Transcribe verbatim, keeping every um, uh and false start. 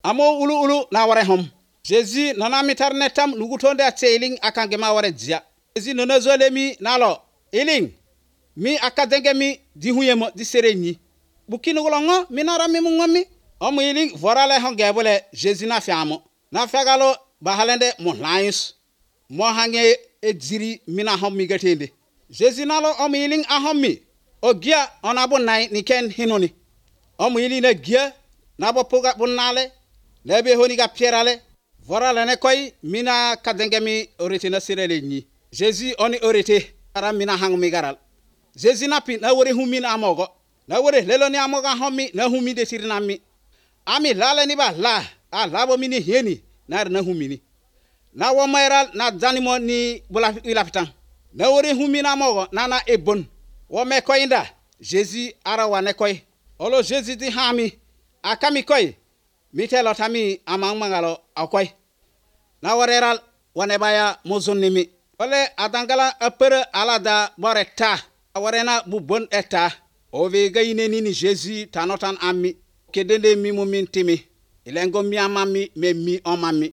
amo ulu ulu na ware hom. Jésus nana mitar netam nugutonde atseling akange ma ware dia. Jésus nana zolemi nalo iling mi akadenge mi di huyemo di sereni. Bukini golongo minara mi mungomi. Omu iling vorale hongebole Jésus na fiamo. Na fegalo bahalende monlais. Mo hange edziri mina hom mi gatende. Jésus nalo omu iling ahomi. Ogia onabo nai niken hinoni. Omu iling na gia nabo poga bunale. Lebe honi ga pierale. Vorale ne koy mina kadenge mi orete na sirele ni. Jésus oni orete ara mina hang mi garal. Jésus na pi na wore humi na amogo. Na wore lelo ni amoga homi na humi de sirina mi. Ami lale ni ba la. A labo mini heni na na humi ni. Na wo mayral na zanimo ni bula ilapitan. Na wore humi na amogo na na ebon. Wo me koy nda. Jésus ara wane koy. Olo Jésus di hami. Akami koy. Mitelo tami amang mangalo akoy. Na wareral wane baya mozonnimi. Ole adangala apere alada boreta. Warena bubon eta. Ove gayine nini Jésus tanotan ami. Kedende mi mumintimi. Ilengo mi amami me mi omami.